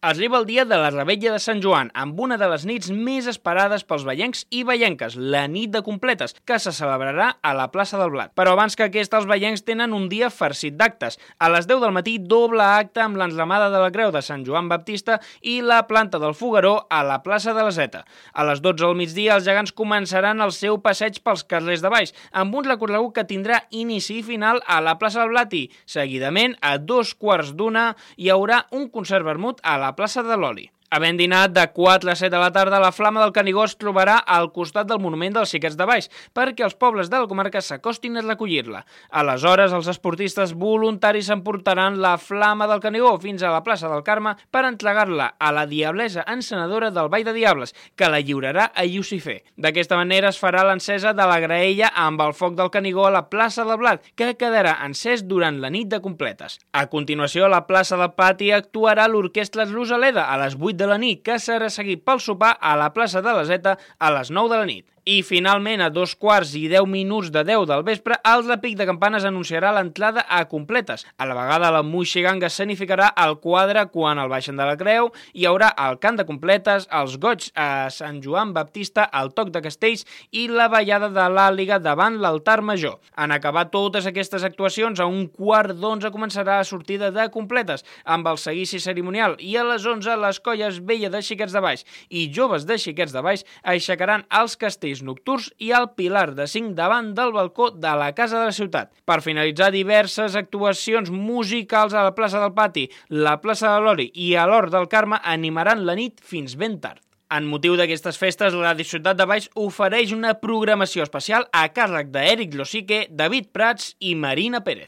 Arriba el dia de la Revetlla de Sant Joan, amb una de les nits més esperades pels veiencs i veienques, la nit de completes, que se celebrarà a la plaça del Blat. Però abans que aquesta, els veiencs tenen un dia farcit d'actes. A les 10 del matí, doble acte amb l'enramada de la Creu de Sant Joan Baptista i la planta del Fogueró a la plaça de la Zeta. A les 12 al migdia, els gegants començaran el seu passeig pels carrers de Valls, amb un recorregut que tindrà inici i final a la plaça del Blat i, seguidament, a 2:15, hi haurà un concert vermut a la plaça de l'Oli. Havent dinat de 4 a 7 de la tarda, la Flama del Canigó es trobarà al costat del monument dels Xiquets de Valls perquè els pobles de la comarca s'acostin a recollir-la. Aleshores, els esportistes voluntaris s'emportaran la Flama del Canigó fins a la plaça del Carme per entregar-la a la diablesa encenedora del Ball de Diables, que la lliurarà a Llucifer. D'aquesta manera es farà l'encesa de la graella amb el foc del Canigó a la plaça del Blat, que quedarà encès durant la nit de completes. A continuació, a la plaça del Pati actuarà l'Orquestra Rosaleda a les 8 de la nit, que serà seguit pel sopar a la plaça de la Zeta a les 9 de la nit. I finalment, a 2:10 de 10 del vespre, el repic de campanes anunciarà l'entrada a completes. A la vegada, la moixiganga escenificarà el quadre quan el baixen de la Creu, hi haurà el cant de completes, els goigs a Sant Joan Baptista, el toc de castells i la ballada de l'àliga davant l'altar major. En acabar totes aquestes actuacions, a 1:15 començarà la sortida de completes, amb el seguici cerimonial, i a les 11 les colles Vella de Xiquets de Valls i Joves de Xiquets de Valls aixecaran els castells nocturns i el pilar de 5 davant del balcó de la Casa de la Ciutat. Per finalitzar, diverses actuacions musicals a la plaça del Pati, la plaça de l'Oli i a l'Hort del Carme animaran la nit fins ben tard. En motiu d'aquestes festes, la Ciutat de Valls ofereix una programació especial a càrrec d'Eric Losique, David Prats i Marina Pérez.